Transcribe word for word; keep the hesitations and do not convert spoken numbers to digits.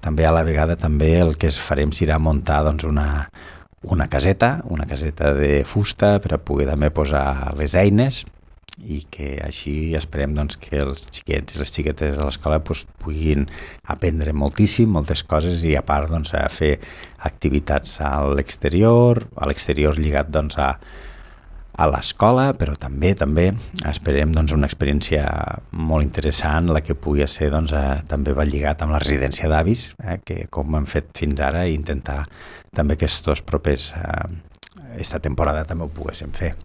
també a la vegada també el que es farem serà muntar doncs, una, una caseta, una caseta de fusta per a poder també posar les eines i que així esperem doncs, que els xiquets i les xiquetes de l'escola doncs, puguin aprendre moltíssim, moltes coses i a part doncs, a fer activitats a l'exterior, a l'exterior lligat doncs, a, a l'escola, però també també esperem doncs, una experiència molt interessant, la que pugui ser doncs, a, també va lligat amb la residència d'avis, eh, que com hem fet fins ara, i intentar també que aquests propers, eh, esta temporada també ho poguéssim fer.